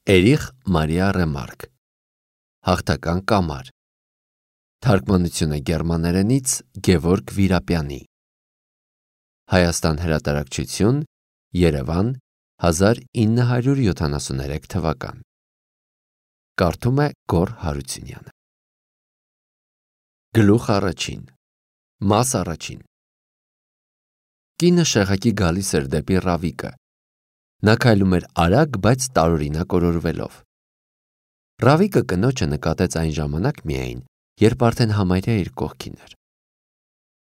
Էրիխ Մարիա Ռեմարկ Հաղթական կամար Թարգմանությունը գերմաներենից Գևորգ Վիրապյանի Հայաստան հրատարակչություն Երևան 1973 թվական Կարդում է Գոր Հարությունյանը Գլուխ առաջին Մաս առաջին Կինը շեղակի գալիս էր դեպի Ռավիկը Նա քայլում էր արագ, բայց տարօրինակ օրորվելով Ռավիկը կնոջը նկատեց այն ժամանակ միայն, երբ արդեն համարյա իր կողքին էր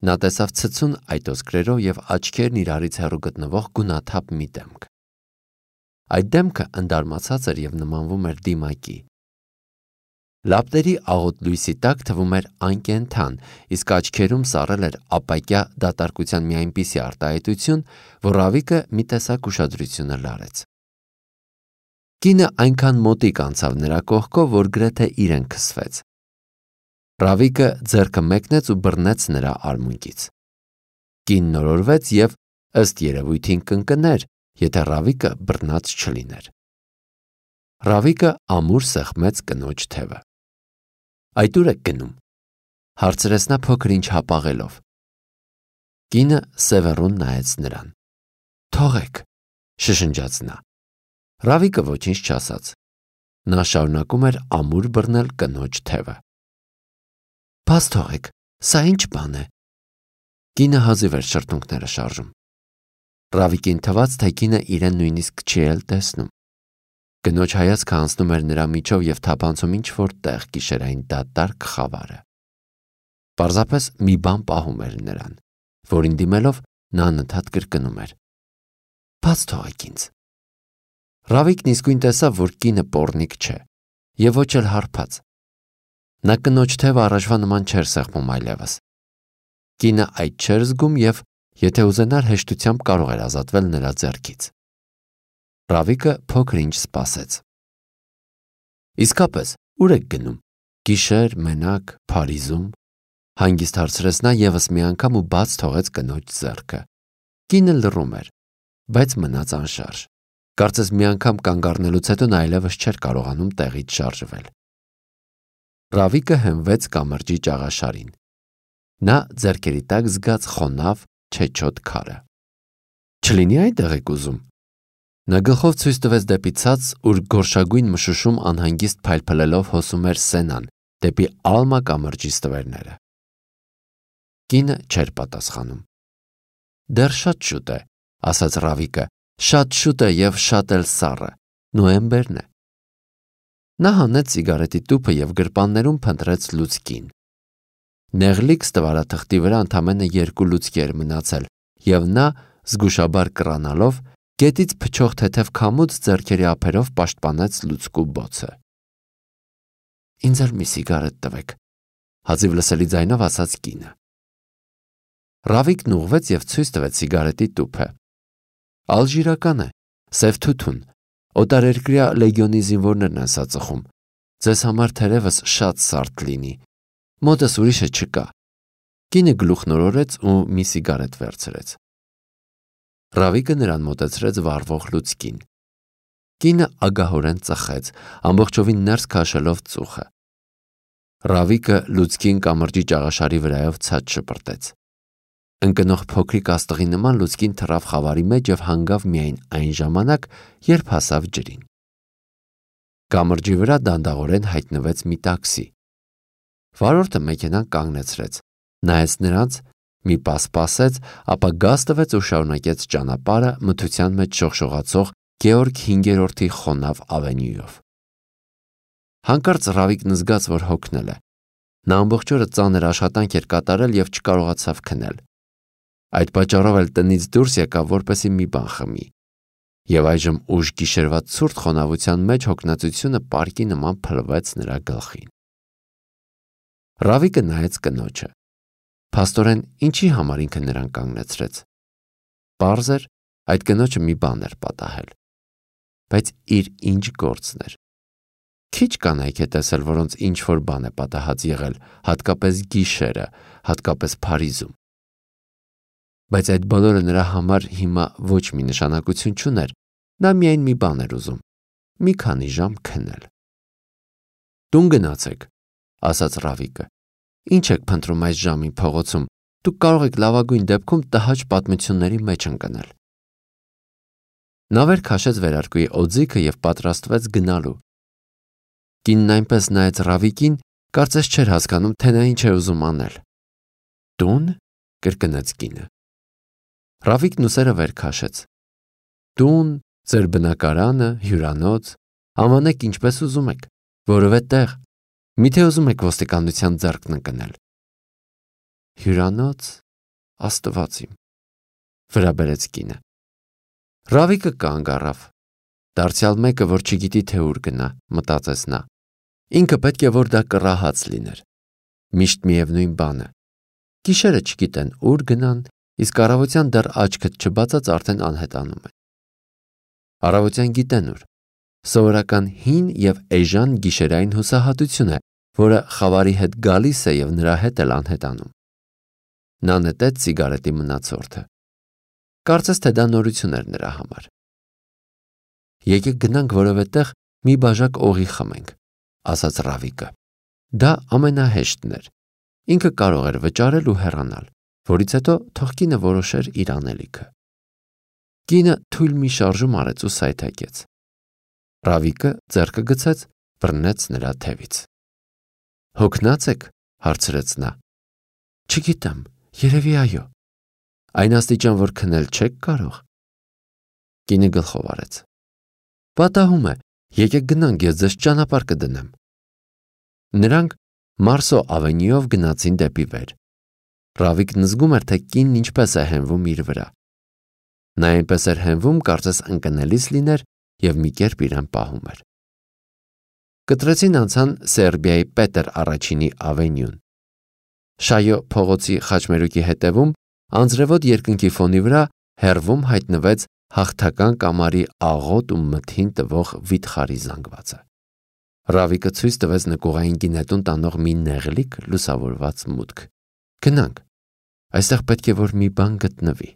Նա տեսավ ցցուն այտոսկրերով և աչքերն իրարից հեռու գտնվող գունաթափ մի դեմք Այդ դեմքը ընդարմացած էր և նմանվում էր դիմակի Լապտերի աղոտ լույսի տակ թվում էր անկենդան, իսկ աչքերում սառել էր ապակյա դատարկության մի այնպիսի արտահայտություն, որ Ռավիկը մի տեսակ ուշադրությունը լարեց Կինը այնքան մոտիկ անցավ նրա կողքով, որ գրեթե իրեն քսվեց Ռավիկը ձեռքը մեկնեց ու բռնեց նրա արմունկից Կինն օրորվեց և ըստ երևույթին կընկներ, եթե Ռավիկը բռնած չլիներ Ռավիկը ամուր սեղմեց կնոջ թևը Այդ ուր եք գնում, հարցրեց նա փոքր-ինչ հապաղելով Կինը սևեռուն նայեց նրան Թողեք, շշնջաց նա Ռավիկը ոչինչ չասաց Նա շարունակում էր ամուր բռնել կնոջ թևը Բաց թողեք, սա ինչ բան է Կինը հազիվ էր շրթունքները շարժում Ռավիկին թվաց, թե կինը իրեն նույնիսկ չի էլ տեսնում Կնոջ հայացքը անցնում էր նրա միջով և թափանցում ինչ-որ տեղ գիշերային դատարկ խավարը Պարզապես մի բան պահում էր նրան, որին դիմելով նա անընդհատ կրկնում էր Բաց թողեք ինձ Ռավիկն իսկույն տեսավ, որ կինը պոռնիկ չէ և ոչ էլ հարբած Նա կնոջ թևը առաջվա նման չէր սեղմում այլևս Կինը այդ չէր զգում և եթե ուզենար հեշտությամբ կարող էր ազատվել նրա ձեռքից Ռավիկը փոքր-ինչ սպասեց Իսկապես, ուր եք գնում, գիշեր, մենակ, Փարիզում Հանգիստ հարցրեց նա ևս մի անգամ ու բաց թողեց կնոջ ձեռքը Կինը լռում էր, բայց մնաց անշարժ Կարծես մի անգամ կանգ առնելուց հետո նա այլևս չէր կարողանում տեղից շարժվել Ռավիկը հենվեց կամրջի ճաղաշարին Նա ձեռքերի տակ զգաց խոնավ, չեչոտ քարը Չլինի այնտեղ եք ուզում Նա գլխով ցույց տվեց դեպի ցած, ուր գորշագույն մշուշում անհանգիստ փայլփլելով հոսում էր Սենան, դեպի Ալմա կամրջի ստվերները Կինը չէր պատասխանում Դեռ շատ շուտ է, ասաց Ռավիկը, շատ շուտ է և շատ էլ սառը, նոյեմբերն է Նա հանեց սիգարետի տուփը և գրպաններում փնտրեց լուցկին Նեղլիկ ստվարաթղթի վրա ընդամենը 2 լուցկի էր մնացել և նա, զգուշաբար կռանալով, գետից փչող թեթև քամուց ձեռքերի ափերով պաշտպանեց լուցկու բոցը Ինձ էլ մի սիգարետ տվեք, հազիվ լսելի ձայնով ասաց կինը Ռավիկն ուղղվեց և ցույց տվեց սիգարետի տուփը Ալժիրական է, սև թութուն, օտարերկրյա լեգիոնի զինվորներն են սա ծխում Ձեզ համար թերևս շատ սարդ լինի Մոտս ուրիշը չկա Կինը գլուխն օրորեց ու մի սիգարետ վերցրեց Ռավիկը նրան մոտեցրեց վառվող լուցկին Կինը ագահորեն ծխեց, ամբողջովին ներս քաշելով ծուխը Ռավիկը լուցկին կամրջի ճաղաշարի վրայով ցած շպրտեց Ընկնող փոքրիկ աստղի նման լուցկին թռավ խավարի մեջ և հանգավ միայն այն ժամանակ, երբ հասավ ջրին Կամրջի վրա դանդաղորեն հայտնվեց մի տաքսի Վարորդը մեքենան կանգնեցրեց, նայեց նրանց, մի պահ սպասեց, ապա գազ տվեց ու շարունակեց ճանապարհը մթության մեջ շողշողացող Գեորգ 5-րդի խոնավ ավենյուով Հանկարծ Ռավիկն զգաց, որ հոգնել է Նա ամբողջ օրը ծանր աշխատանք էր կատարել և չկարողացավ քնել Այդ պատճառով էլ տնից դուրս եկավ, որպեսզի մի բան խմի Եվ այժմ ուշ գիշերվա ցուրտ խոնավության մեջ հոգնածությունը պարկի նման փլվեց նրա գլխին Ռավիկը նայեց կնոջը Փաստորեն ինչի համար ինքը նրան կանգնեցրեց Պարզ էր, այդ կնոջը մի բան էր պատահել Բայց իր ինչ գործն էր Քիչ կանայք է տեսել, որոնց ինչ-որ բան է պատահած եղել, հատկապես գիշերը, հատկապես Փարիզում Բայց այդ բոլորը նրա համար հիմա ոչ մի նշանակություն չուներ Նա միայն մի բան էր ուզում մի քանի ժամ քնել։ Տուն գնացեք, ասաց Ռավիկը։ Ինչ եք փնտրում այս ժամին փողոցում, դուք կարող եք լավագույն դեպքում տհաճ պատմությունների մեջ ընկնել։ Նա վեր քաշեց վերարկուի օձիքը և պատրաստվեց գնալու։ Կինն այնպես նայեց Ռավիկին, կարծես չէր հասկանում, թե նա ինչ է ուզում անել։ Տուն, կրկնեց կինը։ Ռավիկն ուսերը վեր քաշեց։ Տուն, ձեր բնակարանը, հյուրանոց, անվանեք ինչպես ուզում եք, որևէ տեղ, միթե ուզում եք ոստիկանության ձեռքն ընկնել։ Հյուրանոց, Աստված իմ, վրա բերեց կինը։ Ռավիկը կանգ առավ։ Դարձյալ մեկը, որ չգիտի թե ուր գնա, մտածեց նա։ Ինքը պետք է որ դա կռահած լիներ։ Միշտ միևնույն բանը։ Գիշերը չգիտեն ուր գնան, իսկ առավոտյան դեռ աչքդ չբացած արդեն անհետանում են։ Առավոտյան գիտեն ուր։ Սովորական հին և էժան գիշերային հուսահատություն է, որը խավարի հետ գալիս է և նրա հետ էլ անհետանում։ Նա նետեց սիգարետի մնացորդը։ Կարծես թե դա նորություն էր նրա համար։ Եկեք գնանք որևէ տեղ մի բաժակ օղի խմենք, ասաց Ռավիկը։ Դա ամենահեշտն էր։ Ինքը կարող էր վճարել ու հեռանալ, որից հետո թող կինը որոշեր իր անելիքը։ Կինը թույլ մի շարժում արեց ու սայթաքեց։ Ռավիկը ձեռքը գցեց, բռնեց նրա թևից։ Հոգնած եք, հարցրեց նա։ Չգիտեմ, երևի այո։ Այն աստիճան, որ քնել չեք կարող։ Կինը գլխով արեց։ Պատահում է, եկեք գնանք, ես ձեզ ճանապարհ կդնեմ։ Նրանք Մարսո ավենյուով գնացին դեպի վեր։ Ռավիկն զգում էր, թե կինն ինչպես է հենվում իր վրա։ Նա այնպես էր հենվում, կարծես ընկնելիս լիներ և մի կերպ իրեն պահում էր։ Կտրեցին անցան Սերբիայի Պետր առաջինի ավենյուն։ Շայո փողոցի խաչմերուկի հետևում անձրևոտ երկնքի ֆոնի վրա հեռվում հայտնվեց հաղթական կամարի աղոտ ու մթին տվող վիթխարի զանգվածը։ Ռավիկը ցույց տվեց նկուղային գինետուն տանող մի նեղլիկ լուսավորված մուտք։ Գնանք, այստեղ պետք է որ մի բան գտնվի։